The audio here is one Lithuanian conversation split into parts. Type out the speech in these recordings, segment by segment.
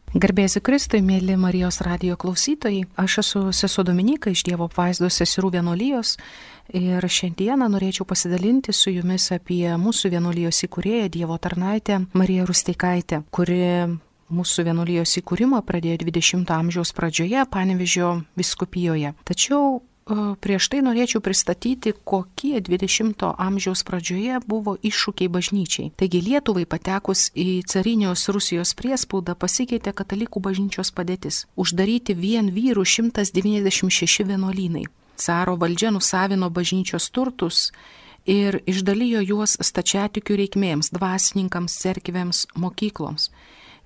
Garbėsiu Kristui, mėly Marijos radijo klausytojai. Aš esu sesuo Dominyka iš Dievo apvaizdos seserų vienuolijos ir šiandieną norėčiau pasidalinti su jumis apie mūsų vienuolijos įkūrėją, Dievo tarnaitę Mariją Rusteikaitę, kuri mūsų vienuolijos įkūrimą pradėjo 20 amžiaus pradžioje Panevėžio vyskupijoje. Tačiau prieš tai norėčiau pristatyti, kokie 20 amžiaus pradžioje buvo iššūkiai bažnyčiai. Taigi Lietuvai patekus į carinios Rusijos priespaudą pasikeitė katalikų bažnyčios padėtis. Uždaryti vien vyrų 196 vienuolynai. Caro valdžia nusavino bažnyčios turtus ir išdalijo juos stačiatikių reikmėms, dvasininkams, cerkvėms, mokykloms.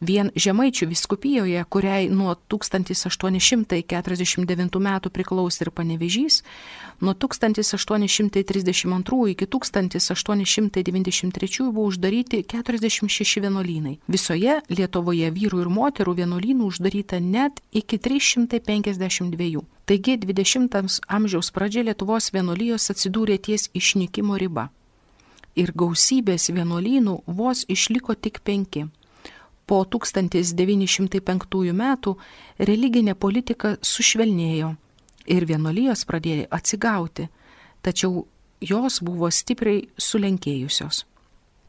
Vien Žemaičių vyskupijoje, kuriai nuo 1849 metų priklausė ir Panevėžys, nuo 1832 iki 1893 buvo uždaryti 46 vienuolynai. Visoje Lietuvoje vyrų ir moterų vienuolynų uždaryta net iki 352. Taigi 20 amžiaus pradžia Lietuvos vienuolijos atsidūrė ties išnykimo riba. Ir gausybės vienuolynų vos išliko tik 5. Po 1905 metų religinė politika sušvelnėjo ir vienuolijos pradėjo atsigauti, tačiau jos buvo stipriai sulenkėjusios.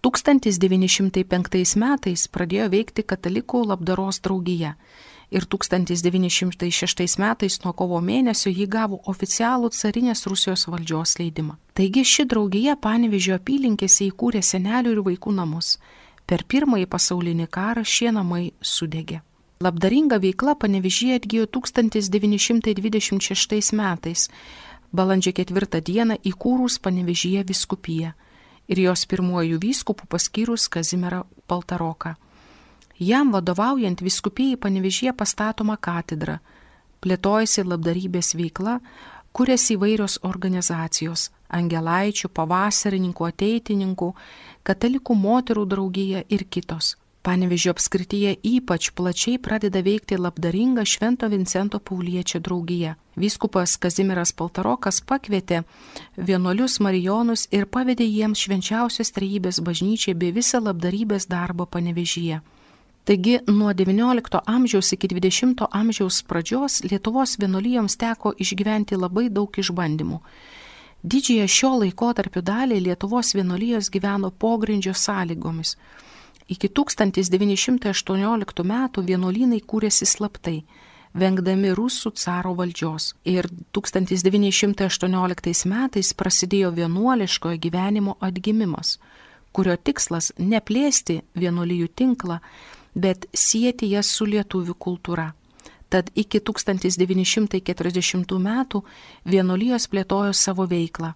1905 metais pradėjo veikti katalikų labdaros draugija ir 1906 metais nuo kovo mėnesio ji gavo oficialų carinės Rusijos valdžios leidimą. Taigi ši draugija Panevėžio apylinkėse įkūrė senelių ir vaikų namus. Per Pirmąjį pasaulinį karą šie namai sudegė. Labdaringa veikla Panevėžyje atgijo 1926 metais, balandžio 4 dieną įkūrus Panevėžyje vyskupiją ir jos pirmuoju vyskupu paskyrus Kazimierą Paltaroką. Jam vadovaujant vyskupijai Panevėžyje pastatoma katedra, plėtojasi labdarybės veikla, kuriasi įvairios organizacijos – angelaičių, pavasarininkų, ateitininkų, katalikų moterų draugija ir kitos. Panevėžio apskrityje ypač plačiai pradeda veikti labdaringa Švento Vincento Pauliečio draugija. Vyskupas Kazimieras Paltarokas pakvietė vienuolius marijonus ir pavedė jiems švenčiausios trejybės bažnyčiai bei visą labdarybės darbą Panevėžyje. Taigi nuo XIX amžiaus iki XX amžiaus pradžios Lietuvos vienuolijoms teko išgyventi labai daug išbandymų. Didžiąją šio laikotarpio dalį Lietuvos vienuolijos gyveno pogrindžio sąlygomis. Iki 1918 metų vienuolynai kūrėsi slaptai, vengdami rusų caro valdžios. Ir 1918 metais prasidėjo vienuoliškojo gyvenimo atgimimas, kurio tikslas ne plėsti vienuolijų tinklą, bet sieti jas su lietuvių kultūra. Tad iki 1940 metų vienuolijos plėtojo savo veiklą.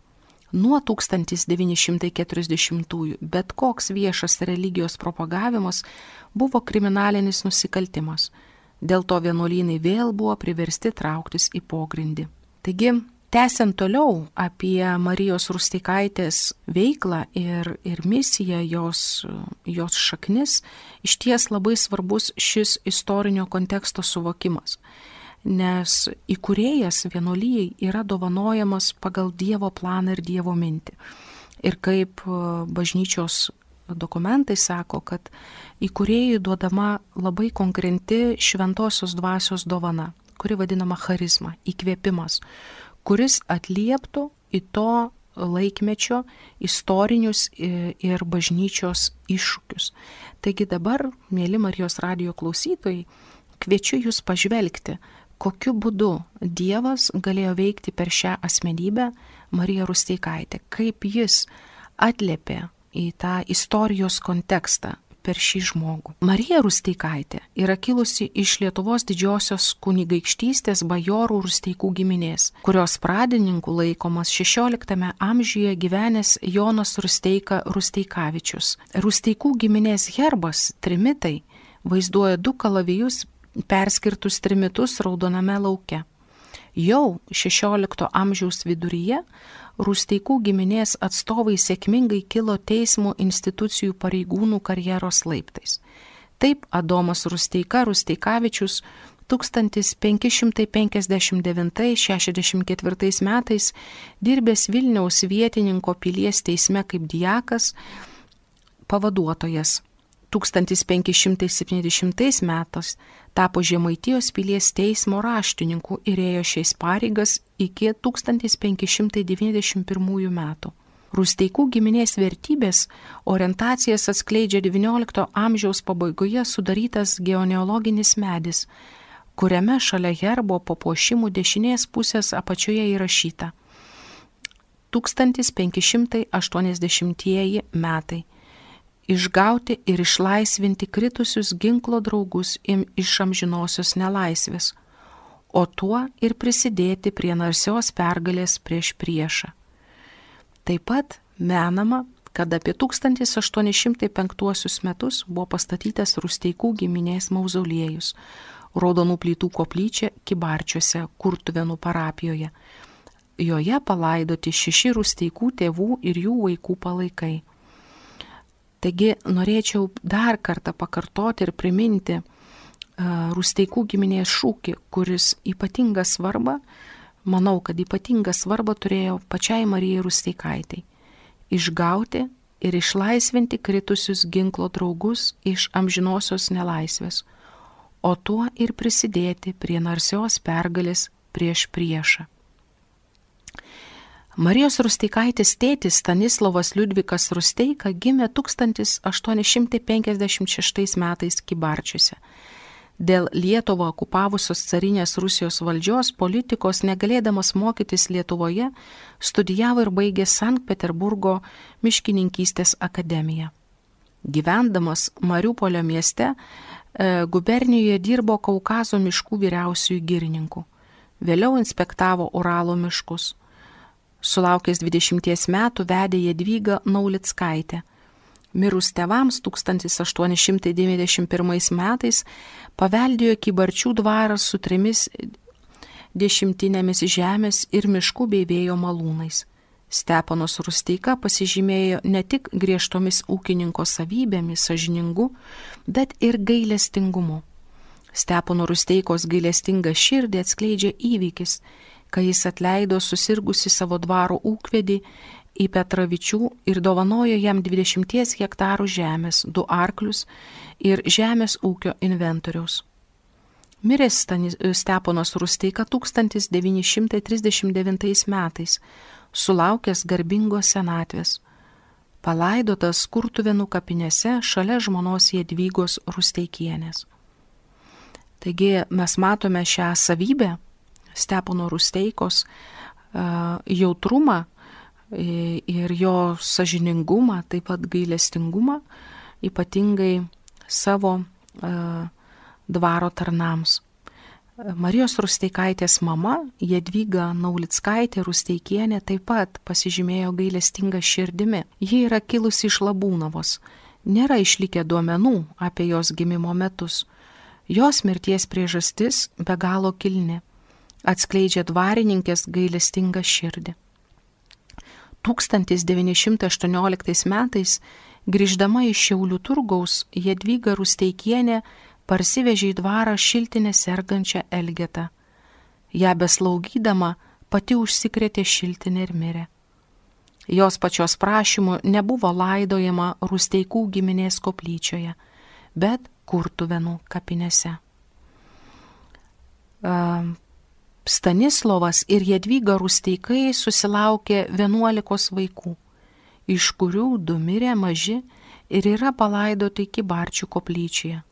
Nuo 1940 bet koks viešas religijos propagavimas buvo kriminalinis nusikaltimas. Dėl to vienuolynai vėl buvo priversti trauktis į pogrindį. Taigi, tęsiant toliau apie Marijos Rusteikaitės veiklą ir misiją, jos šaknis, išties labai svarbus šis istorinio konteksto suvokimas, nes įkūrėjas vienuolijai yra dovanojamas pagal Dievo planą ir Dievo mintį. Ir kaip bažnyčios dokumentai sako, kad įkūrėjui duodama labai konkreti šventosios dvasios dovana, kuri vadinama charizma, įkvėpimas, kuris atlieptų į to laikmečio istorinius ir bažnyčios iššūkius. Taigi dabar, mėly Marijos radijo klausytojai, kviečiu jūs pažvelgti, kokiu būdu Dievas galėjo veikti per šią asmenybę Mariją Rusteikaitę, kaip jis atliepė į tą istorijos kontekstą per šį žmogų. Marija Rusteikaitė yra kilusi iš Lietuvos didžiosios kunigaikštystės bajorų Rusteikų giminės, kurios pradininku laikomas 16 amžiuje gyvenęs Jonas Rusteika Rusteikavičius. Rusteikų giminės herbas, trimitai, vaizduoja 2 kalavijus perskirtus trimitus raudoname lauke. Jau 16 amžiaus viduryje Rusteikų giminės atstovai sėkmingai kilo teismo institucijų pareigūnų karjeros laiptais. Taip Adomas Rusteika Rusteikavičius 1559-64 metais dirbęs Vilniaus vietininko pilies teisme kaip diakas, pavaduotojas, 1570 metais tapo Žemaitijos pilies teismo raštininku ir ėjo šiais pareigas iki 1591 metų. Rusteikų giminės vertybės orientacijas atskleidžia XIX amžiaus pabaigoje sudarytas genealoginis medis, kuriame šalia herbo papuošimų dešinės pusės apačioje įrašyta 1580 metai. Išgauti ir išlaisvinti kritusius ginklo draugus iš amžinosios nelaisvės, o tuo ir prisidėti prie narsios pergalės prieš priešą. Taip pat menama, kad apie 1805 metus buvo pastatytas Rusteikų giminės mauzoliejus, raudonų plytų koplyčia Kybarčiuose, Kurtuvėnų parapijoje. Joje palaidoti 6 Rusteikų tėvų ir jų vaikų palaikai. Taigi norėčiau dar kartą pakartoti ir priminti Rusteikų giminės šūkį, kuris ypatingą svarbą, manau, kad ypatingą svarbą turėjo pačiai Marijai Rusteikaitei – išgauti ir išlaisvinti kritusius ginklo draugus iš amžinosios nelaisvės, o tuo ir prisidėti prie narsios pergalės prieš priešą. Marijos Rusteikaitės tėtis Stanislovas Liudvikas Rusteika gimė 1856 metais Kybarčiuose. Dėl Lietuvą okupavusios carinės Rusijos valdžios politikos negalėdamas mokytis Lietuvoje, studijavo ir baigė Sankt Peterburgo miškininkystės akademiją. Gyvendamas Mariupolio mieste, gubernijoje dirbo Kaukazo miškų vyriausiųjų girininku. Vėliau inspektavo Uralo miškus. Sulaukęs 20 metų vedė Jadvygą Naulickaitę. Mirus tėvams 1891 metais paveldėjo Kybarčių dvaras su 3 dešimtinėmis žemės ir miškų bei vėjo malūnais. Steponas Rusteika pasižymėjo ne tik griežtomis ūkininko savybėmis, sąžiningu, bet ir gailestingumu. Stepono Rusteikos gailestingą širdį atskleidžia įvykis, kai jis atleido susirgusi savo dvaro ūkvedį į Petravičių ir dovanojo jam 20 hektarų žemės, 2 arklius ir žemės ūkio inventoriaus. Miręs Steponas Rusteika 1939 metais, sulaukęs garbingos senatvės, palaidotas Kurtuvėnų kapinėse šalia žmonos Jadvygos Rusteikienės. Taigi mes matome šią savybę, Stepono Rusteikos jautrumą ir jo sąžiningumą, taip pat gailestingumą, ypatingai savo dvaro tarnams. Marijos Rusteikaitės mama, Jadvyga Naulickaitė Rusteikienė, taip pat pasižymėjo gailestingą širdimi. Ji yra kilusi iš Labūnavos. Nėra išlikę duomenų apie jos gimimo metus. Jos mirties priežastis be galo kilni. Atskleidžia dvarininkės gailestingą širdį. 1918 metais, grįždama iš Šiaulių turgaus, Jadvyga Rusteikienė parsivežė į dvarą šiltinę sergančią Elgetą. Ja beslaugydama pati užsikrėtė šiltinę ir mirė. Jos pačios prašymu nebuvo laidojama Rusteikų giminės koplyčioje, bet Kurtuvėnų kapinėse. Stanislovas ir Jadvyga Rusteikai susilaukė 11 vaikų, iš kurių 2 mirė maži ir yra palaidoti Kybarčių koplyčioje.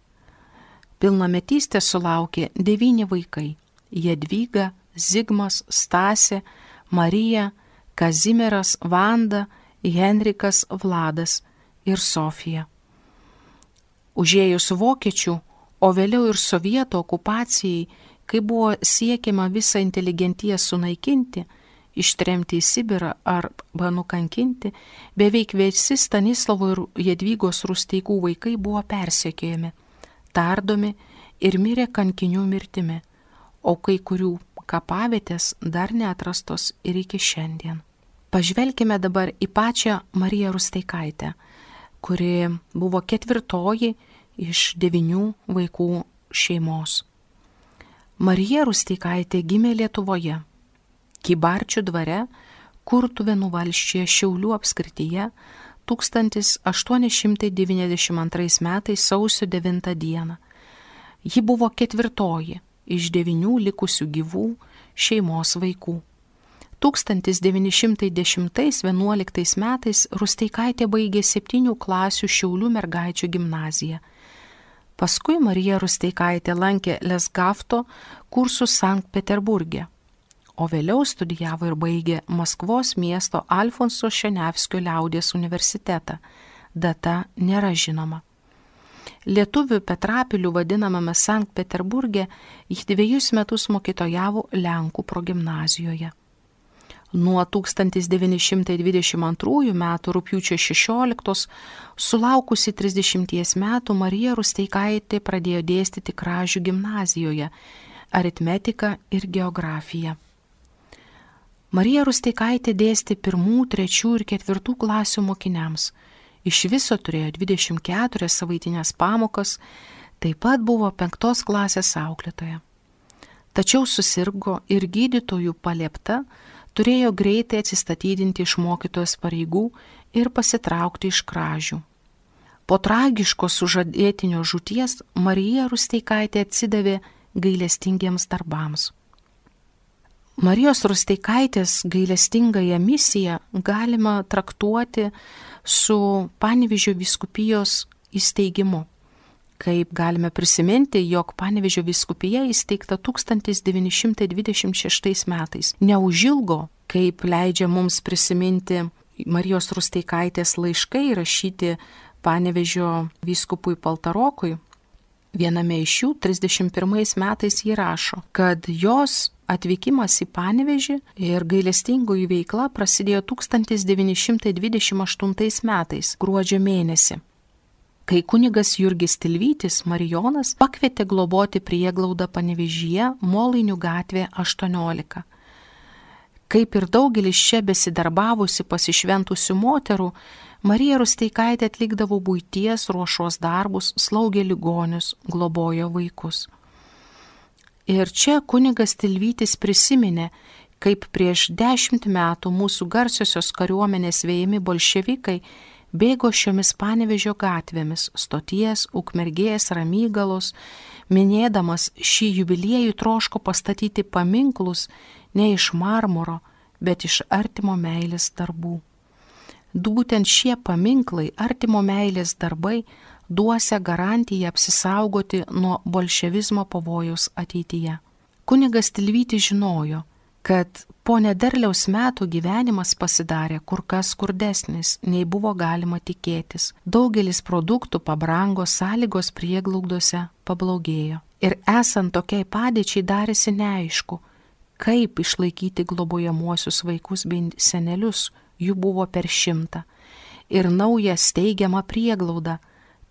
Pilnametystę sulaukė 9 vaikai – Jadvyga, Zigmas, Stasė, Marija, Kazimieras, Vanda, Henrikas, Vladas ir Sofija. Užėjus vokiečių, o vėliau ir sovietų okupacijai, kai buvo siekiama visą inteligentiją sunaikinti, ištremti į Sibirą arba nukankinti, beveik visi Stanislovo ir Jadvygos Rusteikų vaikai buvo persekiojami, tardomi ir mirė kankinių mirtimi, o kai kurių kapavietės dar neatrastos ir iki šiandien. Pažvelkime dabar į pačią Mariją Rusteikaitę, kuri buvo 4 iš 9 vaikų šeimos. Marija Rusteikaitė gimė Lietuvoje, Kybarčių dvare, Kurtuvėnų valsčiuje Šiaulių apskrityje 1892 metais sausio 9 dieną. Ji buvo 4 iš 9 likusių gyvų šeimos vaikų. 1910–11 metais Rusteikaitė baigė 7 klasių Šiaulių mergaičių gimnaziją. Paskui Marija Rusteikaitė lankė Lesgafto kursus Sankt Peterburge, o vėliau studijavo ir baigė Maskvos miesto Alfonso Šenevskio liaudies universitetą. Data nėra žinoma. Lietuvių Petrapilių vadinamame Sankt Peterburge ji 2 metus mokytojavo Lenkų progimnazijoje. Nuo 1922 metų rugpjūčio 16, sulaukusi 30 metų, Marija Rusteikaitė pradėjo dėstyti Kražių gimnazijoje aritmetiką ir geografiją. Marija Rusteikaitė dėstė 1, 3 ir 4 klasių mokiniams. Iš viso turėjo 24 savaitinės pamokas, taip pat buvo 5 klasės auklėtoja. Tačiau susirgo ir gydytojų paliepta turėjo greitai atsistatydinti iš mokytojos pareigų ir pasitraukti iš Kražių. Po tragiško sužadėtinio žūties Marija Rusteikaitė atsidavė gailestingiems darbams. Marijos Rusteikaitės gailestingąją misiją galima traktuoti su Panevėžio vyskupijos įsteigimu. Kaip galime prisiminti, jog Panevėžio vyskupija įsteigta 1926 metais. Neužilgo, kaip leidžia mums prisiminti Marijos Rusteikaitės laiškai rašyti Panevėžio vyskupui Paltarokui, viename iš jų 31 metais ji rašo, kad jos atvykimas į Panevėžį ir gailestingoji veikla prasidėjo 1928 metais, gruodžio mėnesį, kai kunigas Jurgis Tilvytis Marijonas pakvietė globoti prieglaudą Panevėžyje, Molainių gatvė 18. Kaip ir daugelis čia besidarbavusi pasišventusių moterų, Marija Rusteikaitė atlikdavo buities ruošos darbus, slaugė ligonius, globojo vaikus. Ir čia kunigas Tilvytis prisiminė, kaip prieš 10 metų mūsų garsiosios kariuomenės vejami bolševikai bėgo šiomis Panevėžio gatvėmis, Stoties, Ukmergės, Ramygalos, minėdamas šį jubiliejų troško pastatyti paminklus ne iš marmuro, bet iš artimo meilės darbų. Būtent šie paminklai, artimo meilės darbai, duosia garantiją apsisaugoti nuo bolševizmo pavojaus ateityje. Kunigas Tilvytis žinojo, kad po nederliaus metų gyvenimas pasidarė kur kas skurdesnis, nei buvo galima tikėtis. Daugelis produktų pabrango, sąlygos prieglaudose pablogėjo. Ir esant tokiai padėčiai darėsi neaišku, kaip išlaikyti globojamuosius vaikus bei senelius, jų buvo per 100. Ir naują steigiamą prieglaudą,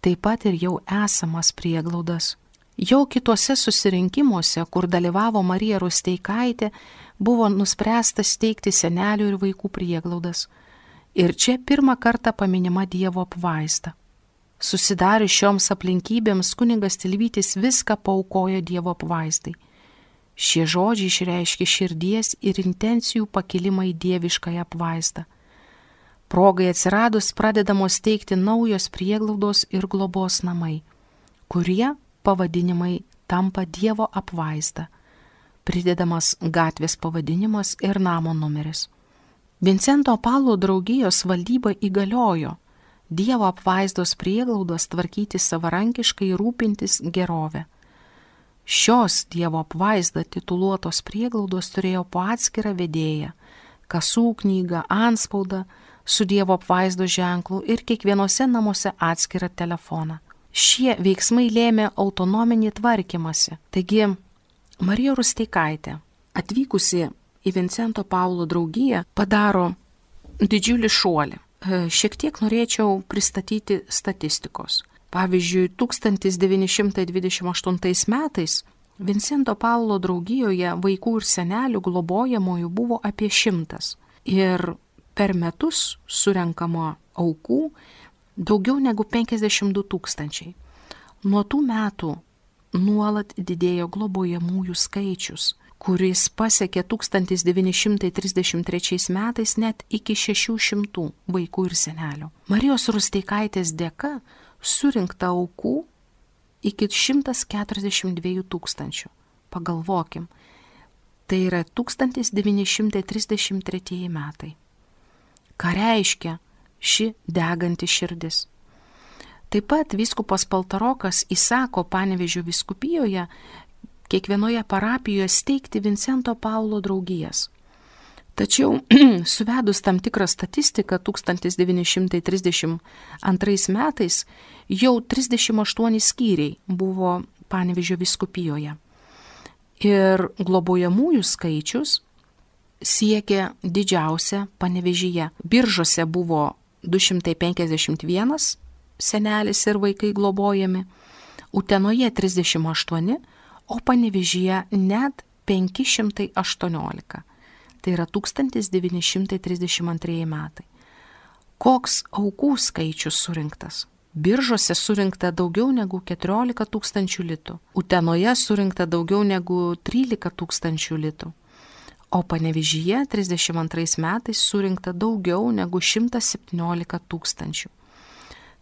taip pat ir jau esamas prieglaudas. Jau kituose susirinkimuose, kur dalyvavo Marija Rusteikaitė, buvo nuspręsta steigti senelių ir vaikų prieglaudas. Ir čia pirmą kartą paminima Dievo apvaizda. Susidarius šioms aplinkybėms kunigas Tilvytis viską paaukojo Dievo apvaizdai. Šie žodžiai išreiškia širdies ir intencijų pakilimą į dieviškąją apvaizdą. Progai atsiradus pradedamos steigti naujos prieglaudos ir globos namai, kurie pavadinimai tampa Dievo apvaizda, pridedamas gatvės pavadinimas ir namo numeris. Vincento Paulo draugijos valdyba įgaliojo Dievo apvaizdos prieglaudos tvarkyti savarankiškai, rūpintis gerovę. Šios Dievo apvaizda tituluotos prieglaudos turėjo po atskirą vedėją, kasų knygą, antspaudą su Dievo apvaizdos ženklu ir kiekvienose namuose atskirą telefoną. Šie veiksmai lėmė autonominį tvarkymąsi. Taigi, Marija Rusteikaitė, atvykusi į Vincento Paulo draugiją, padaro didžiulį šuolį. Šiek tiek norėčiau pristatyti statistikos. Pavyzdžiui, 1928 metais Vincento Paulo draugijoje vaikų ir senelių globojamųjų buvo apie 100. Ir per metus surenkama aukų daugiau negu 52 000. Nuo tų metų nuolat didėjo globojamųjų skaičius, kuris pasiekė 1933 metais net iki 600 vaikų ir senelių. Marijos Rusteikaitės dėka surinkta aukų iki 142 tūkstančių. Pagalvokim, tai yra 1933 metai. Ką reiškia ši deganti širdis? Taip pat vyskupas Paltarokas įsako Panevėžio vyskupijoje kiekvienoje parapijoje steigti Vincento Paulo draugijas. Tačiau suvedus tam tikrą statistiką 1932 metais jau 38 skyriai buvo Panevėžio vyskupijoje. Ir globojamųjų skaičius siekė didžiausia Panevėžyje. Biržuose buvo 251 senelis ir vaikai globojami, Utenoje 38, o Panevėžyje net 518. Tai yra 1932 metai. Koks aukų skaičius surinktas? Biržuose surinkta daugiau negu 14 tūkstančių litų, Utenoje surinkta daugiau negu 13 tūkstančių litų, o Panevėžyje 32 metais surinkta daugiau negu 117 tūkstančių.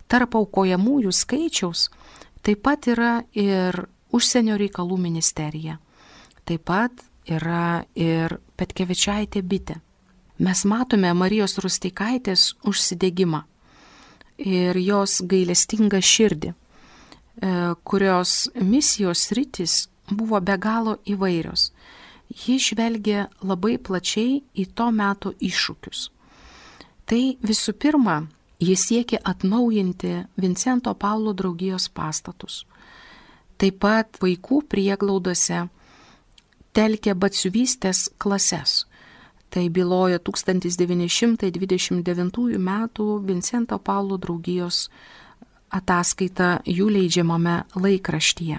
Tarp aukojamųjų skaičiaus taip pat yra ir Užsienio reikalų ministerija. Taip pat yra ir Petkevičaitė bitė. Mes matome Marijos Rusteikaitės užsidegimą ir jos gailestingą širdį, kurios misijos sritys buvo be galo įvairios. Ji žvelgė labai plačiai į to meto iššūkius. Tai visų pirma, jis siekė atnaujinti Vincento Paulo draugijos pastatus. Taip pat vaikų prieglaudose telkė batsiuvystės klases. Tai byloja 1929 metų Vincento Paulo draugijos ataskaita jų leidžiamame laikraštyje,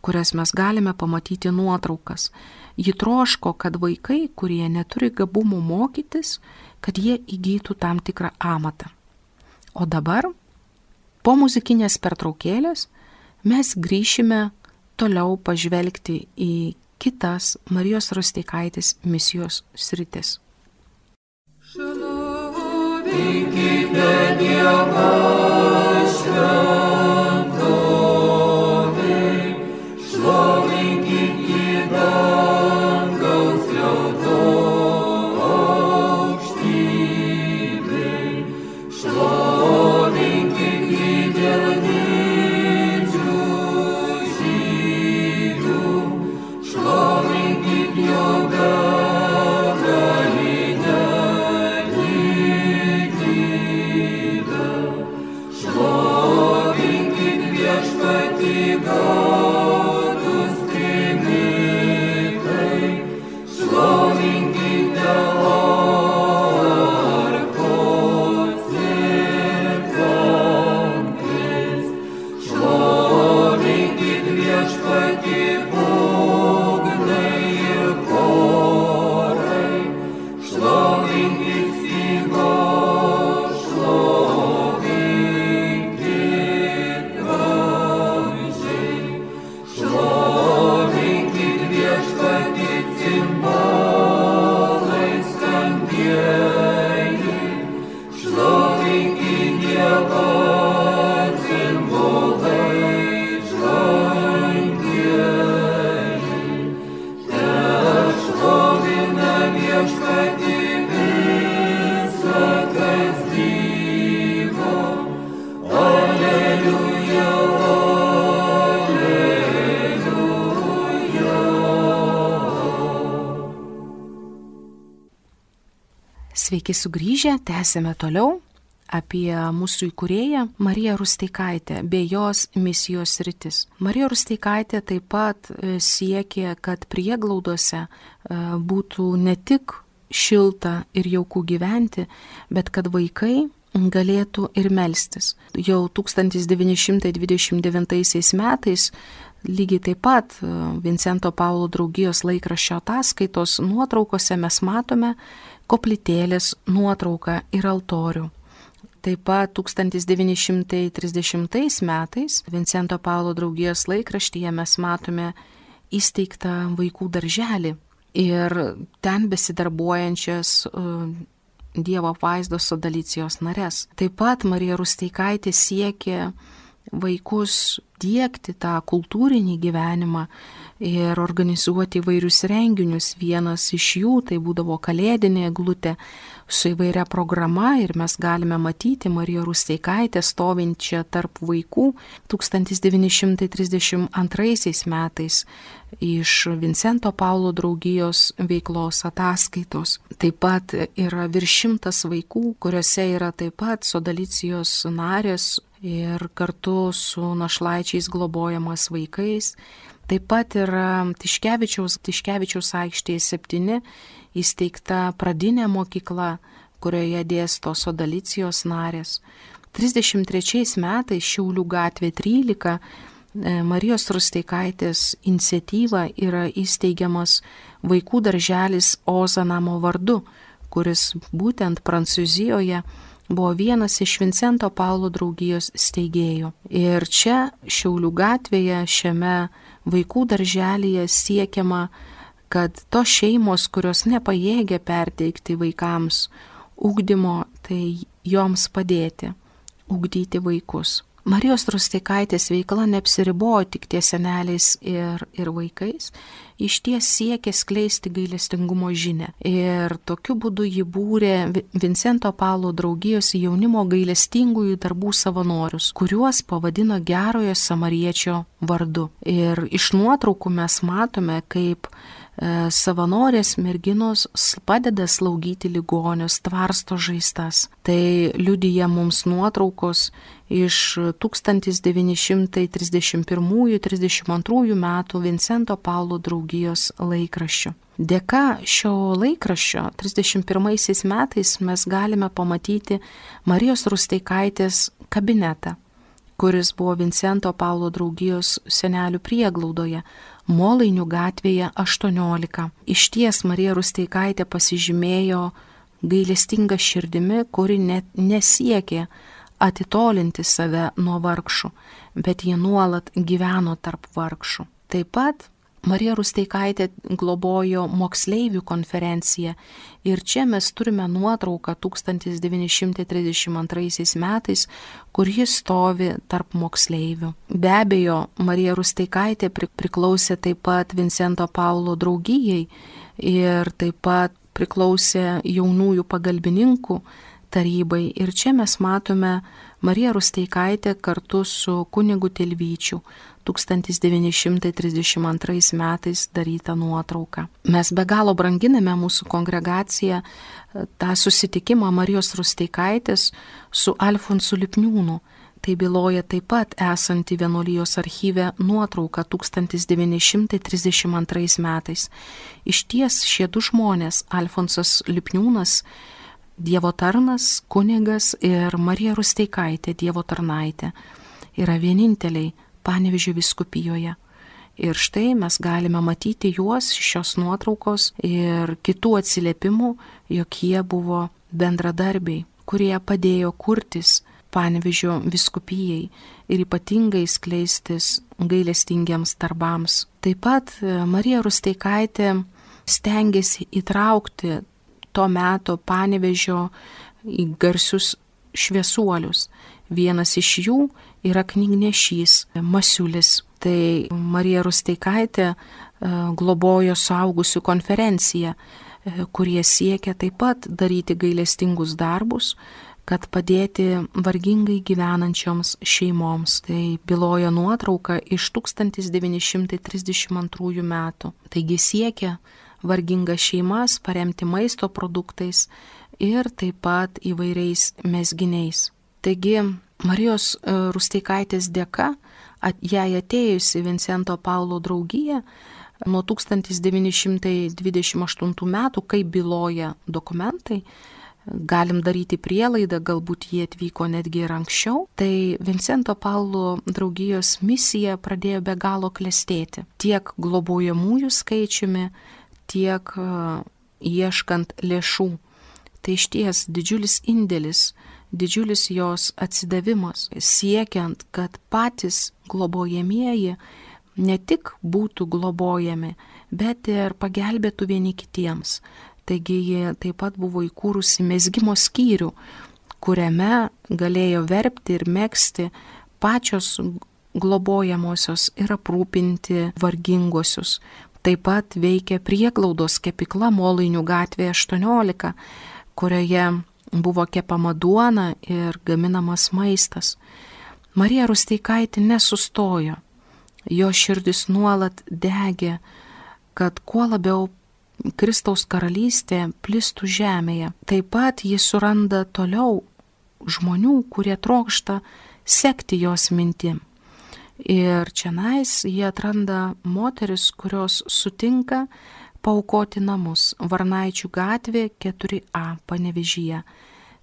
kurias mes galime pamatyti nuotraukas. Ji troško, kad vaikai, kurie neturi gabumų mokytis, kad jie įgytų tam tikrą amatą. O dabar, po muzikinės pertraukėlės, mes grįšime toliau pažvelgti į kitas Marijos Rusteikaitės misijos sritis. Šlovinkite Dievą šventovė, šlovinkite dangaus skliauto aukštybė, šlovinkite dėl didžių žygių, šlovinkite jo begalinę lygybę, šlovinkite viešpatį gaudus trimitai, šlovinkite arfos ir kankės, šlovinkite viešpatį būgnai ir chorai, šlovinkite stygos, šlovinkite gražiai, šlovinkite viešpatį cimbalai skambieji, šlovinkite Dievą cimbalai žvangieji, tešlovina viešpatį visa kas gyva. Alleluja, alleluja. Sveiki sugrįžę, tęsime toliau apie mūsų įkūrėją Mariją Rusteikaitę bei jos misijos sritis. Marija Rusteikaitė taip pat siekė, kad prieglaudose būtų ne tik šilta ir jauku gyventi, bet kad vaikai galėtų ir melstis. Jau 1929 metais lygiai taip pat Vincento Paulo draugijos laikraščio ataskaitos nuotraukose mes matome koplytėlės nuotrauką ir altorių. Taip pat 1930 metais Vincento Paulo draugijos laikraštyje mes matome įsteigtą vaikų darželį ir ten besidarbuojančias Dievo apvaizdos Sodalicijos nares. Taip pat Marija Rusteikaitė siekė vaikus diegti tą kultūrinį gyvenimą ir organizuoti įvairius renginius. Vienas iš jų tai būdavo kalėdinė eglutė su įvairia programa ir mes galime matyti Mariją Rusteikaitę stovinčią tarp vaikų 1932 metais iš Vincento Paulo draugijos veiklos ataskaitos. Taip pat yra virš 100 vaikų, kuriuose yra taip pat Sodalicijos narės ir kartu su našlaičiais globojamas vaikais. Taip pat yra Tiškevičiaus aikštėje 7 įsteigta pradinė mokykla, kurioje dėsto Sodalicijos narės. 33 metais Šiaulių gatvė 13 Marijos Rusteikaitės iniciatyva yra įsteigiamas vaikų darželis Ozanamo vardu, kuris būtent Prancūzijoje buvo vienas iš Vincento Paulo draugijos steigėjų. Ir čia Šiaulių gatvėje šiame vaikų darželyje siekiama, kad tos šeimos, kurios nepajėgia perteikti vaikams ugdymo, tai joms padėti, ugdyti vaikus. Marijos Rusteikaitės veikla neapsiribojo tik ties seneliais ir vaikais, išties siekė skleisti gailestingumo žinią. Ir tokiu būdu ji būrė Vincento Paulo draugijos jaunimo gailestingųjų darbų savanorius, kuriuos pavadino Gerojo Samariečio vardu. Ir iš nuotraukų mes matome, kaip savanorės merginos padeda slaugyti ligonius, tvarsto žaizdas. Tai liudija mums nuotraukos iš 1931-32 metų Vincento Paulo draugijos laikraščių. Dėka šio laikraščio 31 metais mes galime pamatyti Marijos Rusteikaitės kabinetą, kuris buvo Vincento Paulo draugijos senelių prieglaudoje, Molainių gatvėje 18. Išties Marija Rusteikaitė pasižymėjo gailestinga širdimi, kuri net nesiekė atitolinti save nuo vargšų, bet jie nuolat gyveno tarp vargšų. Taip pat Marija Rusteikaitė globojo moksleivių konferenciją ir čia mes turime nuotrauką 1932 metais, kur jis stovi tarp moksleivių. Be abejo, Marija Rusteikaitė priklausė taip pat Vincento Paulo draugijai ir taip pat priklausė jaunųjų pagalbininkų tarybai. Ir čia mes matome Mariją Rusteikaitę kartu su kunigu Tilvyčiu 1932 metais darytą nuotrauką. Mes be galo branginame mūsų kongregaciją tą susitikimą Marijos Rusteikaitės su Alfonsu Lipniūnu. Tai byloja taip pat esanti vienuolijos archyve nuotrauka 1932 metais. Išties šie du žmonės, Alfonsas Lipniūnas, Dievo tarnas, kunigas ir Marija Rusteikaitė, Dievo tarnaitė, yra vieninteliai Panevėžio vyskupijoje. Ir štai mes galime matyti juos, šios nuotraukos ir kitų atsiliepimų, jog jie buvo bendradarbiai, kurie padėjo kurtis Panevėžio vyskupijai ir ypatingai skleistis gailestingiems darbams. Taip pat Marija Rusteikaitė stengiasi įtraukti to meto Panevėžio į garsius šviesuolius. Vienas iš jų yra knygnešys Masiulis. Tai Marija Rusteikaitė globojo suaugusių konferenciją, kurie siekia taip pat daryti gailestingus darbus, kad padėti vargingai gyvenančioms šeimoms. Tai byloja nuotrauka iš 1932 metų. Taigi siekia vargingas šeimas paremti maisto produktais ir taip pat įvairiais mezginiais. Taigi Marijos Rusteikaitės dėka, jai atėjus į Vincento Paulo draugiją nuo 1928 metų, kaip byloja dokumentai, galim daryti prielaidą, galbūt jie atvyko netgi ir anksčiau, tai Vincento Paulo draugijos misija pradėjo be galo klestėti. Tiek globojamųjų skaičiumi, tiek ieškant lėšų. Tai išties didžiulis indėlis didžiulis jos atsidavimas, siekiant, kad patys globojamieji ne tik būtų globojami, bet ir pagelbėtų vieni kitiems. Taigi ji taip pat buvo įkūrusi mezgimo skyrių, kuriame galėjo verpti ir megzti pačios globojamosios ir aprūpinti vargingosius. Taip pat veikia prieglaudos kepykla Molainių gatvėje 18, kurioje buvo kepama duona ir gaminamas maistas. Marija Rusteikaitė nesustojo. Jo širdis nuolat degė, kad kuo labiau Kristaus karalystė plistų žemėje. Taip pat jis suranda toliau žmonių, kurie trokšta sekti jos mintim. Ir čionais jie atranda moteris, kurios sutinka paaukoti namus Varnaičių gatvė 4A Panevėžyje.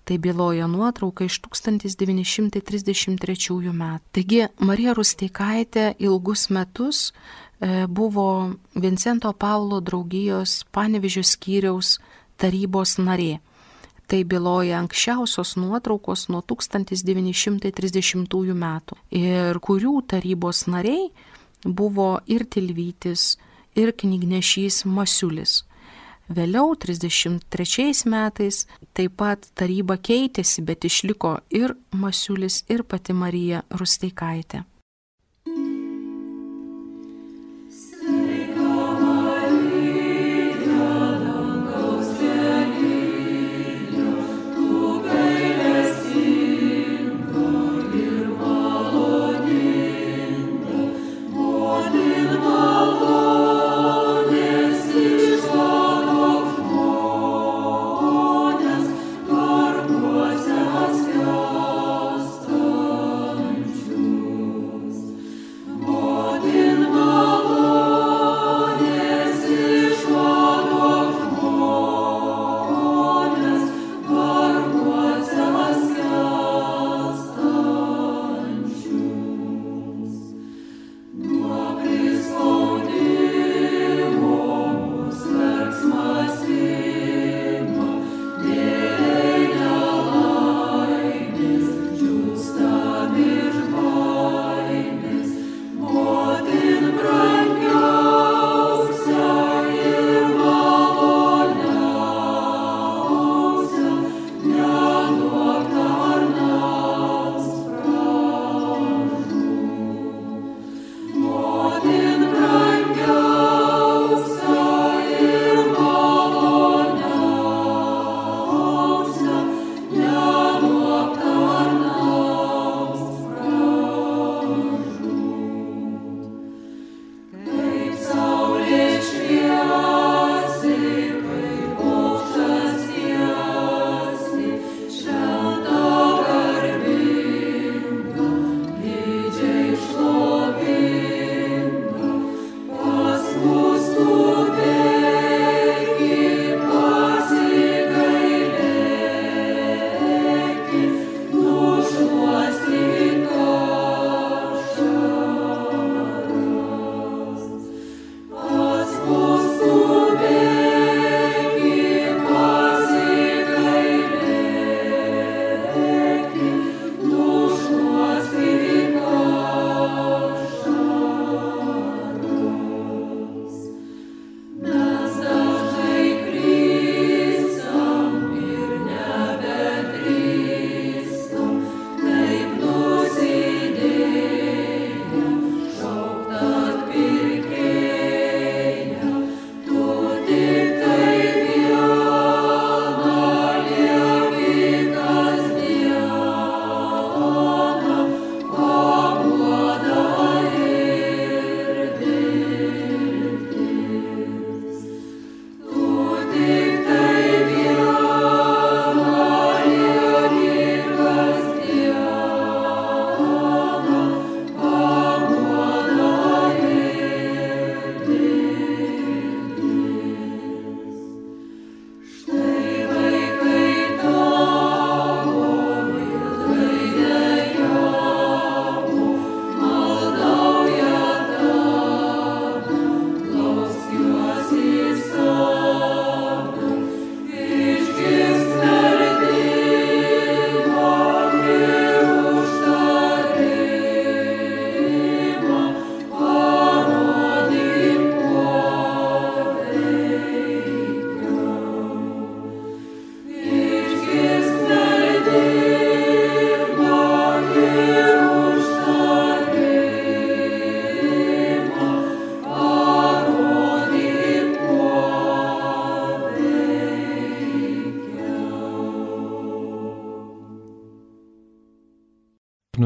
Tai byloja nuotrauka iš 1933 metų. Taigi Marija Rusteikaitė ilgus metus buvo Vincento Paulo draugijos Panevėžio skyriaus tarybos narė. Tai byloja anksčiausios nuotraukos nuo 1930 metų, ir kurių tarybos nariai buvo ir Tilvytis, ir knygnešys Masiulis. Vėliau, 33 metais, taip pat taryba keitėsi, bet išliko ir Masiulis, ir pati Marija Rusteikaitė.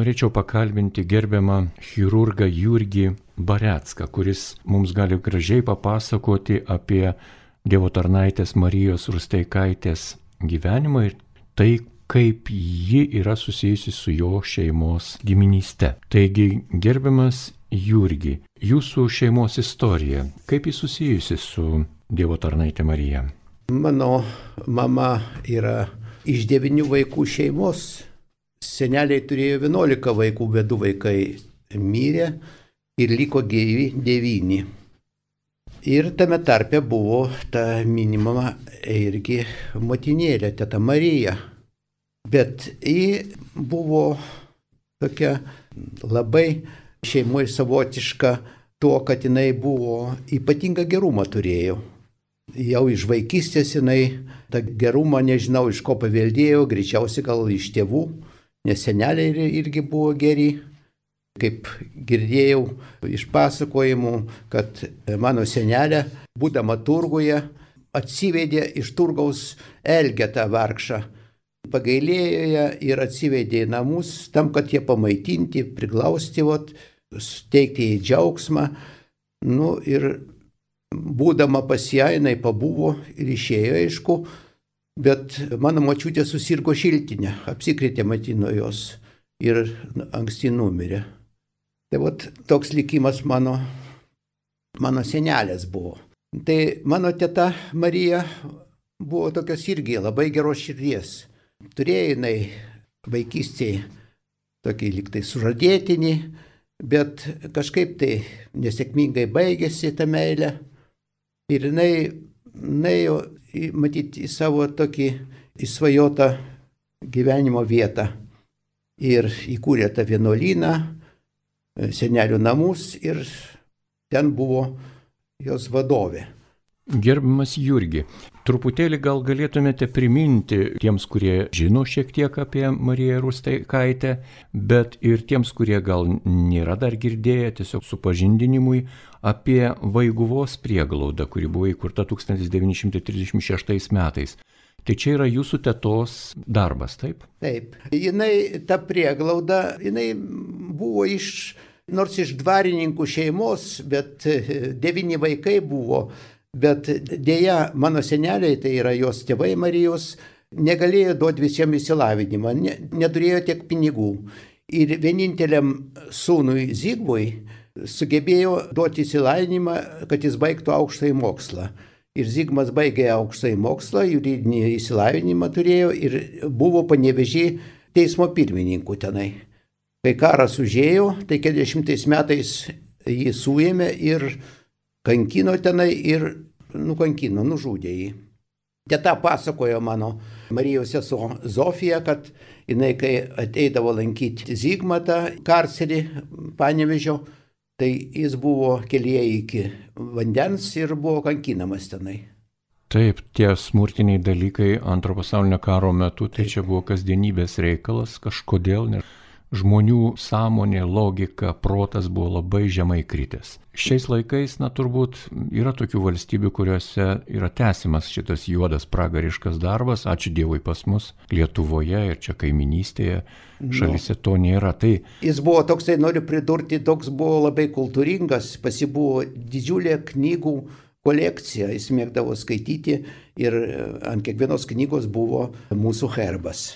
norėčiau pakalbinti gerbiamą chirurgą Jurgį Barecką, kuris mums gali gražiai papasakoti apie Dievo tarnaitės Marijos Rusteikaitės gyvenimą ir tai, kaip ji yra susijusi su jo šeimos giminyste. Taigi, gerbiamas Jurgi, jūsų šeimos istorija, kaip ji susijusi su Dievo tarnaitė Marija? Mano mama yra iš 9 vaikų šeimos. Seneliai turėjo 11 vaikų, bet 2 vaikai mirė ir liko gyvi 9. Ir tame tarpe buvo ta minimama irgi motinėlė, teta Marija. Bet ji buvo tokia labai šeimoje savotiška tuo, kad jinai buvo ypatingą gerumą turėjo. Jau iš vaikystės jinai tą gerumą, nežinau, iš ko paveldėjo, greičiausiai gal iš tėvų, nes seneliai irgi buvo geri. Kaip girdėjau iš pasakojimų, kad mano senelė, būdama turguje, atsivedė iš turgaus Elgetą vargšą. Pagailėjo ją ir atsivedė į namus, tam, kad jie pamaitinti, priglausti, suteikti jai džiaugsmą. Ir būdama pas ją, jinai pabuvo ir išėjo, aišku, bet mano močiutė susirgo šiltinę, apsikrėtė matino jos ir anksti numirė. Tai toks likimas mano senelės buvo. Tai mano teta Marija buvo tokios irgi labai geros širdies. Turėjo jinai vaikystėje tokį liktai sužadėtinį, bet kažkaip tai nesėkmingai baigėsi ta meilė. Ir jinai nuėjo, matyti, į savo tokį įsvajotą gyvenimo vietą. Ir įkūrė tą vienuolyną, senelių namus ir ten buvo jos vadovė. Gerbiamas Jurgi, truputėlį gal galėtumėte priminti tiems, kurie žino šiek tiek apie Mariją Rusteikaitę, bet ir tiems, kurie gal nėra dar girdėję, tiesiog supažindinimui apie Vaiguvos prieglaudą, kuri buvo įkurta 1936 metais. Tai čia yra jūsų tetos darbas, taip? Taip. Ta prieglauda, jinai buvo nors iš dvarininkų šeimos, bet 9 vaikai buvo. Bet dėja, mano seneliai, tai yra jos tėvai Marijos, negalėjo duoti visiems įsilavinimą, neturėjo tiek pinigų. Ir vieninteliam sūnui Zigmui sugebėjo duoti įsilavinimą, kad jis baigtų aukštąjį mokslą. Ir Zigmas baigė aukštąjį mokslą, juridinį įsilavinimą turėjo ir buvo Panevėžy teismo pirmininku tenai. Kai karas užėjo, tai 40 metais jį suėmė ir kankino tenai ir nužudė jį. Teta pasakojo mano Marijos sesuo Zofija, kad jinai, kai ateidavo lankyti Zigmatą karcerį Panevėžio, tai jis buvo kelyje iki vandens ir buvo kankinamas tenai. Taip, tie smurtiniai dalykai Antro pasaulinio karo metu, tai čia buvo kasdienybės reikalas kažkodėl, nes žmonių sąmonė, logika, protas buvo labai žemai kritęs. Šiais laikais, turbūt yra tokių valstybių, kuriuose yra tęsiamas šitas juodas pragariškas darbas, ačiū Dievui pas mus Lietuvoje ir čia kaiminystėje šalyse to nėra. Tai jis buvo toksai, noriu pridurti, toks buvo labai kultūringas, pas jį buvo didžiulė knygų kolekcija, jis mėgdavo skaityti ir ant kiekvienos knygos buvo mūsų herbas.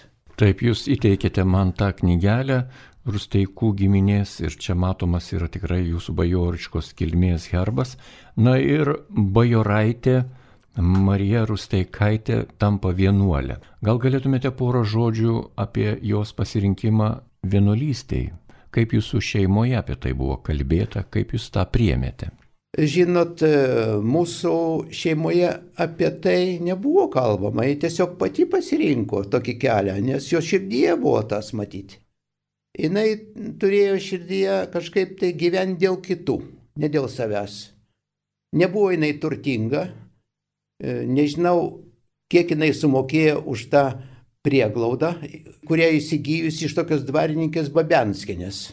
Taip, jūs įteikėte man tą knygelę Rusteikų giminės ir čia matomas yra tikrai jūsų bajoriškos kilmės herbas. Ir bajoraitė Marija Rusteikaitė tampa vienuolė. Gal galėtumėte porą žodžių apie jos pasirinkimą vienuolystėj? Kaip jūsų šeimoje apie tai buvo kalbėta, kaip jūs tą priėmėte? Žinot, mūsų šeimoje apie tai nebuvo kalbama, ji tiesiog pati pasirinko tokį kelią, nes jo širdyje buvo tas matyti. Jinai turėjo širdyje kažkaip tai gyventi dėl kitų, ne dėl savęs. Nebuvo jinai turtinga, nežinau, kiek jinai sumokėjo už tą prieglaudą, kurią įsigijusi iš tokios dvarininkės Babenskienės.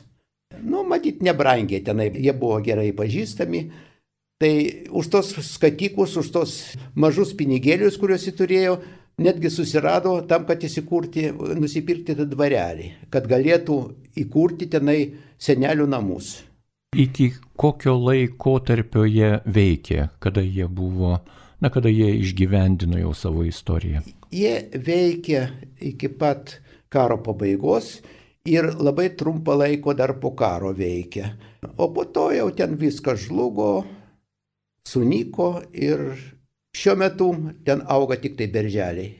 Matyt, nebrangiai tenai, jie buvo gerai pažįstami. Tai už tos skatikus, už tos mažus pinigėlius, kuriuos jį turėjo, netgi susirado tam, kad nusipirkti tą dvarelį, kad galėtų įkurti tenai senelių namus. Iki kokio laiko tarpio jie veikė, kada jie išgyvendino jau savo istoriją? Jie veikė iki pat karo pabaigos ir labai trumpą laiko dar po karo veikė. O po to jau ten viskas žlugo, sunyko ir šiuo metu ten auga tik tai berželiai.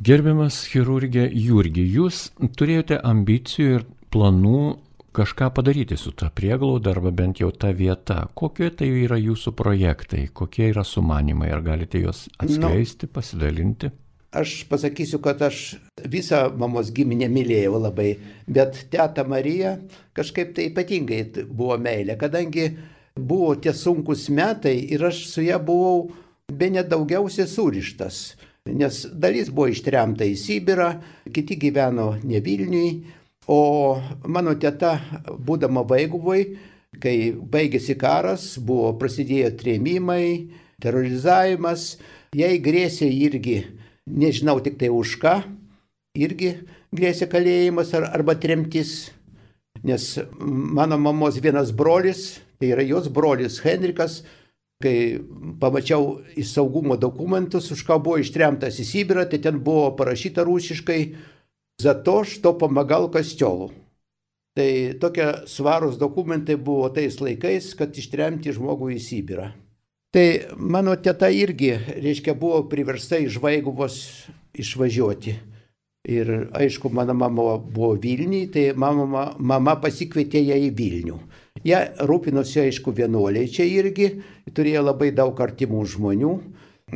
Gerbiamas chirurgė Jurgi, jūs turėjote ambicijų ir planų kažką padaryti su ta prieglauda arba bent jau ta vieta. Kokie tai yra jūsų projektai, kokie yra sumanimai, ar galite juos atskleisti, pasidalinti? Aš pasakysiu, kad aš visą mamos giminę mylėjau labai, bet teta Marija kažkaip tai ypatingai buvo meilė, kadangi buvo tie sunkus metai ir aš su ją buvau bene daugiausiai surištas, nes dalis buvo ištremta į Sibirą, kiti gyveno ne Vilniui, o mano teta, būdama Vaiguvoj, kai baigėsi karas, prasidėjo trėmimai, terorizavimas, jai grėsė irgi, nežinau tik tai už ką, irgi grėsė kalėjimas arba tremtis, nes mano mamos vienas brolis, tai yra jos brolis Henrikas, kai pamačiau į saugumo dokumentus, už ką buvo ištremtas į Sibirą, tai ten buvo parašyta rusiškai «За то, что помогал костелу». Tai tokie svarūs dokumentai buvo tais laikais, kad ištremti žmogų į Sibirą. Tai mano teta irgi, reiškia, buvo priversta iš Vaiguvos išvažiuoti. Ir aišku, mano mama buvo Vilniui, tai mama pasikvietė ją į Vilnių. Jie rūpinosi, aišku, vienuoliai čia irgi, turėjo labai daug artimų žmonių,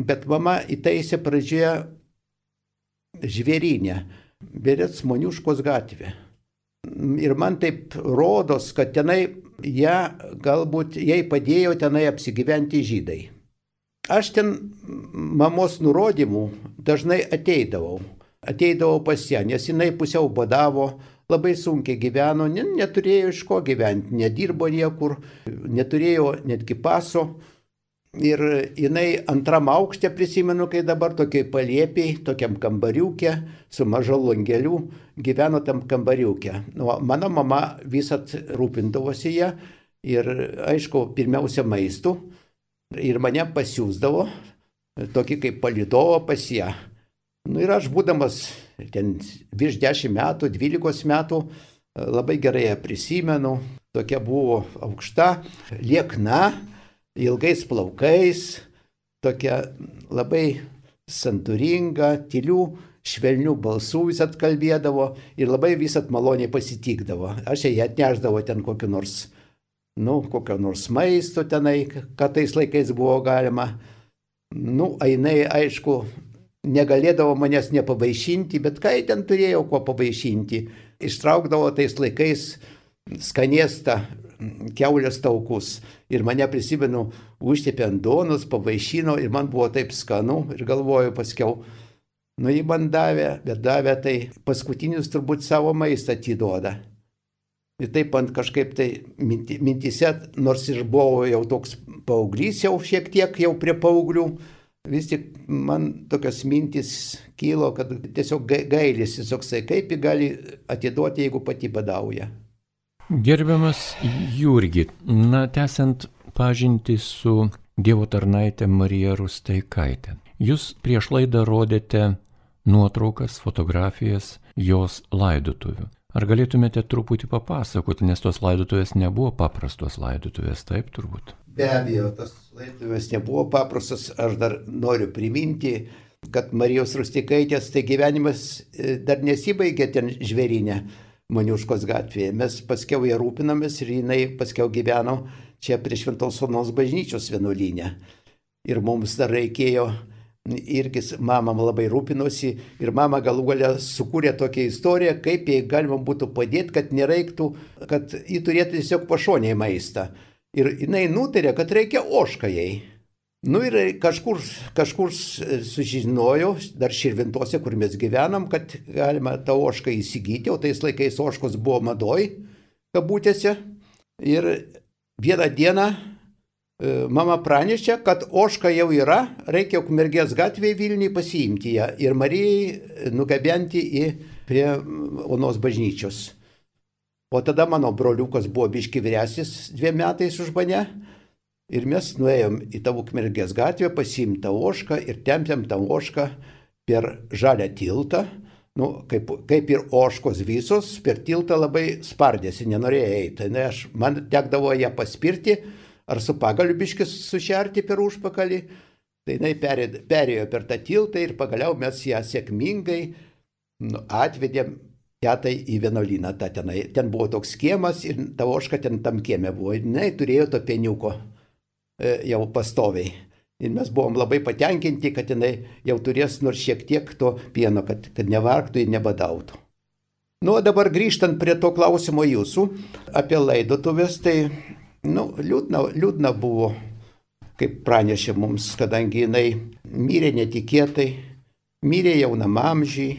bet mama įtaisė pradžioje žvėrynę, Berets Moniuškos gatvė. Ir man taip rodos, kad tenai jai padėjo tenai apsigyventi žydai. Aš ten mamos nurodymų dažnai ateidavau pas ją, nes jinai pusiau badavo, labai sunkiai gyveno, neturėjo iš ko gyventi, nedirbo niekur, neturėjo netgi paso. Ir jinai antram aukšte, prisimenu, kai dabar tokiai palėpiai, tokiam kambariukė, su maža langeliu, gyveno tam kambariukė. Mano mama visat rūpindavosi ją ir, aišku, pirmiausia maistu. Ir mane pasiūsdavo, tokį kaip palydovą pas ją. Ir aš, būdamas ten virš 10 metų, 12 metų, labai gerai ją prisimenu. Tokia buvo aukšta, liekna, ilgais plaukais, tokia labai santūringa, tylių, švelnių balsų visat kalbėdavo ir labai visat maloniai pasitikdavo. Aš jai atnešdavo ten kokio nors maisto tenai, kad tais laikais buvo galima. Jinai, aišku, negalėdavo manęs nepavaišinti, bet ką ten turėjau ko pavaišinti. Ištraukdavo tais laikais skanėstą kiaulės taukus. Ir mane, prisimenu, užtepė ant duonos, pavaišino ir man buvo taip skanu ir galvoju paskiau, jį man davė, bet davė tai paskutinius turbūt savo maistą atiduoda. Ir taip man kažkaip tai mintise, nors ir buvo jau toks paauglys, jau šiek tiek jau prie paauglių, vis tik man tokios mintis kilo, kad tiesiog gailisi, toksai, kaip jį gali atiduoti, jeigu pati badauja. Gerbiamas Jurgi, tęsiant pažintį su Dievo tarnaite Marija Rusteikaite. Jūs prieš laidą rodėte nuotraukas, fotografijas jos laidotuvių. Ar galėtumėte truputį papasakoti, nes tos laidotuvės nebuvo paprastos laidotuvės, taip turbūt? Be abejo, tos laidotuvės nebuvo paprastos. Aš dar noriu priminti, kad Marijos Rusteikaitės tai gyvenimas dar nesibaigė ten žvėryne. Moniuškos gatvėje. Mes paskiau ją rūpinamės ir jinai paskiau gyveno čia prie Šventos Onos bažnyčios vienuolyne. Ir mums dar reikėjo, irgi mama labai rūpinosi ir mama galų gale sukūrė tokią istoriją, kaip jai galima būtų padėti, kad nereiktų, kad ji turėtų tiesiog pašonėj maistą. Ir jinai nutarė, kad reikia ožką jai. Ir kažkur sužinojau, dar Širvintose, kur mes gyvenam, kad galima tą ožką įsigyti, o tais laikais ožkos buvo madoj, kabutėse. Ir vieną dieną mama pranešė, kad ožka jau yra, reikia Ukmergės gatvėje Vilniui pasiimti ją ir Marijai nugabenti prie Onos bažnyčios. O tada mano broliukas buvo biški vyresnis 2 metais už mane ir mes nuėjom į tą Ukmergės gatvę, pasiimti tą ožką ir tempėm tą ožką per žalią tiltą. Kaip ir ožkos visos, per tiltą labai spardėsi, nenorėjo eiti. Man tekdavo ją paspirti ar su pagaliu biškis sušerti per užpakalį. Tai jinai perėjo per tą tiltą ir pagaliau mes ją sėkmingai atvedėm tetai į vienuolyną. Ten buvo toks kiemas ir ta ožka ten tam kieme buvo. Jinai turėjo to pieniuko jau pastoviai. Ir mes buvom labai patenkinti, kad jinai jau turės nors šiek tiek to pieno, kad nevargtų ir nebadautų. O dabar grįžtant prie to klausimo jūsų apie laidotuvės, tai liūdna buvo, kaip pranešė mums, kadangi jinai mirė netikėtai, mirė jaunam amžiui,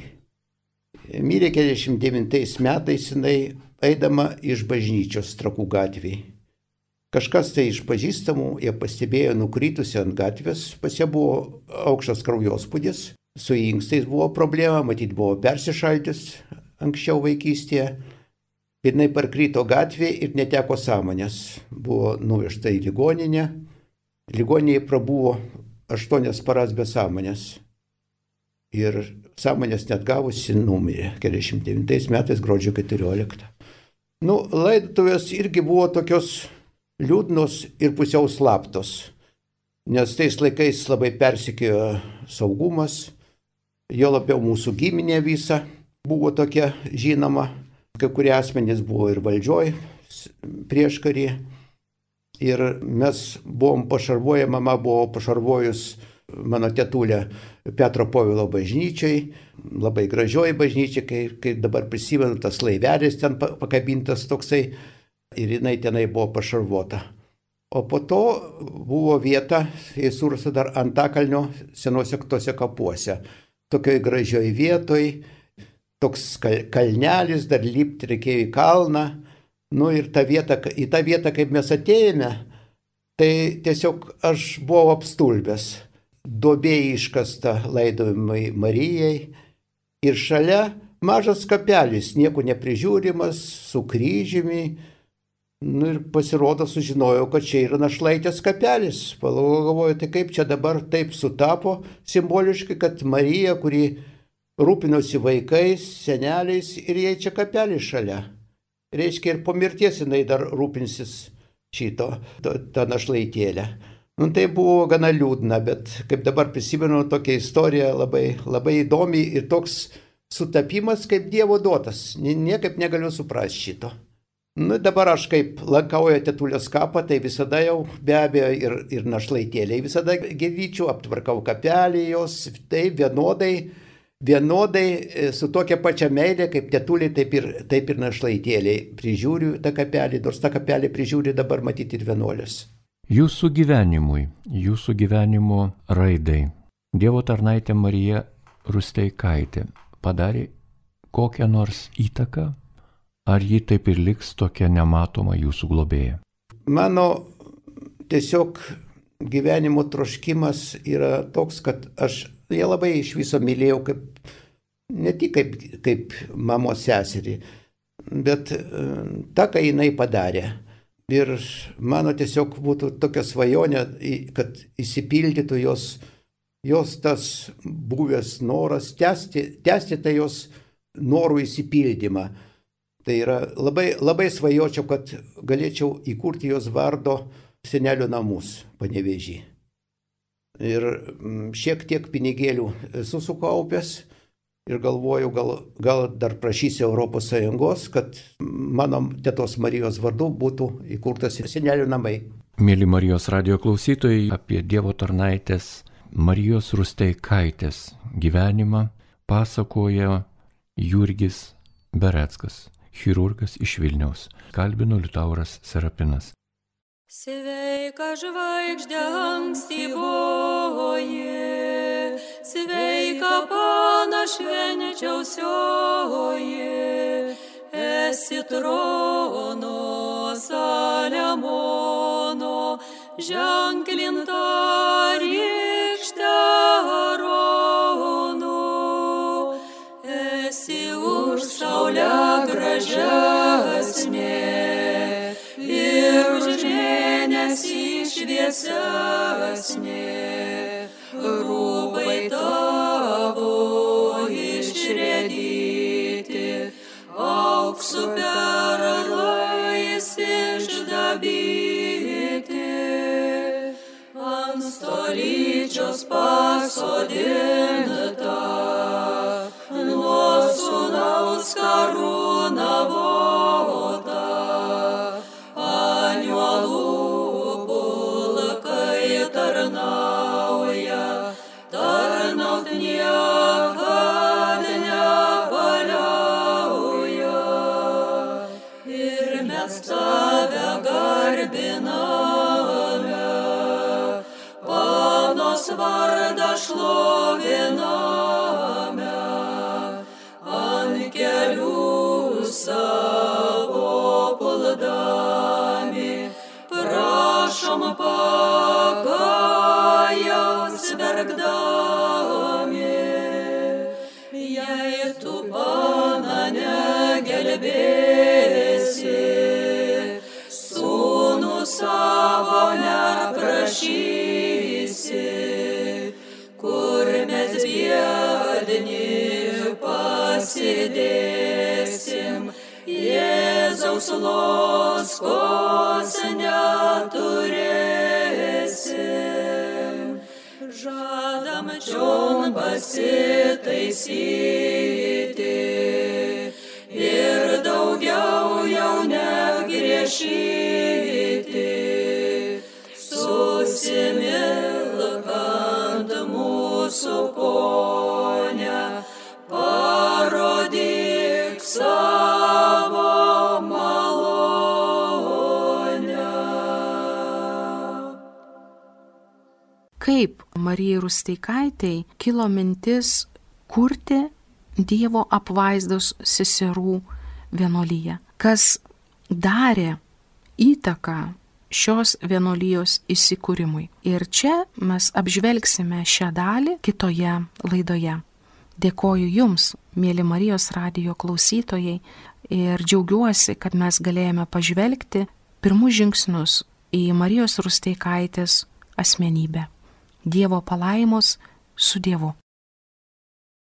mirė 49 metais jinai eidama iš bažnyčios Trakų gatvėje. Kažkas tai iš pažįstamų ją pastebėjo nukritusi ant gatvės, pas ją buvo aukštas kraujospūdis, su inkstais buvo problema, matyt buvo persišaldžius anksčiau vaikystėje. Ir jinai parkrito gatvėje ir neteko sąmonės. Buvo nuvežta į ligoninę. Ligoninėje prabuvo 8 paras be sąmonės. Ir sąmonės net gavusi numirė 49 metais gruodžio 14. Laidotuvės irgi buvo tokios liūdnos ir pusiau slaptos, nes tais laikais labai persekiojo saugumas, jo labiau mūsų giminė visa buvo tokia žinoma, kai kurie asmenys buvo ir valdžioj prieškarį ir mes buvom pašarvoję, mama buvo pašarvojus mano tetulę Petro Povilo bažnyčiai, labai gražioji bažnyčia, kai dabar prisimenu, tas laivelis ten pakabintas toksai, ir jinai tenai buvo pašarvota. O po to buvo vieta, jei surasta dar Antakalnio senuose tose kapuose. Tokioj gražioj vietoj, toks kalnelis, dar lipti reikėjo į kalną. Ir į tą vietą, kaip mes atėjome, tai tiesiog aš buvau apstulbęs. Duobė iškasta laidojimai Marijai ir šalia mažas kapelis, nieko neprižiūrimas, su kryžiumi. Ir pasirodo, sužinojau, kad čia yra našlaitės kapelis. Galvoju, tai kaip čia dabar taip sutapo simboliškai, kad Marija, kuri rūpinosi vaikais, seneliais, ir jai čia kapelis šalia. Reiškia, ir po mirties jinai dar rūpinsis tą našlaitėlę. Tai buvo gana liūdna, bet kaip dabar prisimenu, tokia istorija labai, labai įdomi ir toks sutapimas kaip Dievo duotas. Niekaip negaliu suprasti šito. Dabar aš kaip lankauju tetulės kapą, tai visada jau be abejo ir našlaitėliai visada gyvyčių, aptvarkau kapelį jos, tai vienodai su tokia pačia meilė kaip tetulė, taip ir našlaitėliai. Prižiūriu tą kapelį, nors tą kapelį prižiūri dabar matyti ir vienuolės. Jūsų gyvenimui, jūsų gyvenimo raidai Dievo tarnaitė Marija Rusteikaitė padarė kokią nors įtaką? Ar ji taip ir liks tokia nematoma jūsų globėja? Mano tiesiog gyvenimo troškimas yra toks, kad aš ją labai iš viso mylėjau, ne tik kaip mamos seserį, bet tą, ką jinai padarė. Ir mano tiesiog būtų tokia svajonė, kad įsipildytų jos tas buvęs noras, tęsti tą jos norų įsipildymą. Tai yra labai svajočiau, kad galėčiau įkurti jos vardo senelio namus Panevėžy. Ir šiek tiek pinigėlių esu sukaupęs ir galvoju, gal dar prašysiu Europos Sąjungos, kad mano tetos Marijos vardu būtų įkurtas senelio namai. Mėly Marijos radijo klausytojai, apie Dievo tarnaitės Marijos Rusteikaitės gyvenimą pasakoja Jurgis Bereckas, chirurgas iš Vilniaus. Kalbino Liutauras Serapinas. Sveika žvaigždė ankstyvoji, sveika pana švenčiausioji, esi trono Saliamono, ženklinta rykšte Arono, esi už saulę gražesnė ir už mėnesį šviesesnė. Rūbai tavo išrėdyti, auksu perlais išdabyti, ant stolyčios pasodinta, nuo sūnaus karūna vota, angelų pulkai tarnauja, tarnaut niekad nepaliauja. Ir mes tave garbiname, panos vardą šloviname, ant kelių savo puldami, prašom pakajaus verkdami. Jei tu, Pana, negelbėsi, sūnų savo neprašysi, kur mes biedni pasidėsim, Jėzaus loskos neturėsim. Žadam čion pasitaisyti ir daugiau jau negriešyti. Susimilkant mūsų Pone, parodyk savo malonę. Kaip Marijai Rusteikaitei kilo mintis kurti Dievo apvaizdos seserų vienuolyje? Kas darė įtaką šios vienuolijos įsikūrimui? Ir čia mes apžvelgsime šią dalį kitoje laidoje. Dėkoju Jums, mėly Marijos radijo klausytojai, ir džiaugiuosi, kad mes galėjome pažvelgti pirmus žingsnius į Marijos Rusteikaitės asmenybę. Dievo palaimos su Dievu.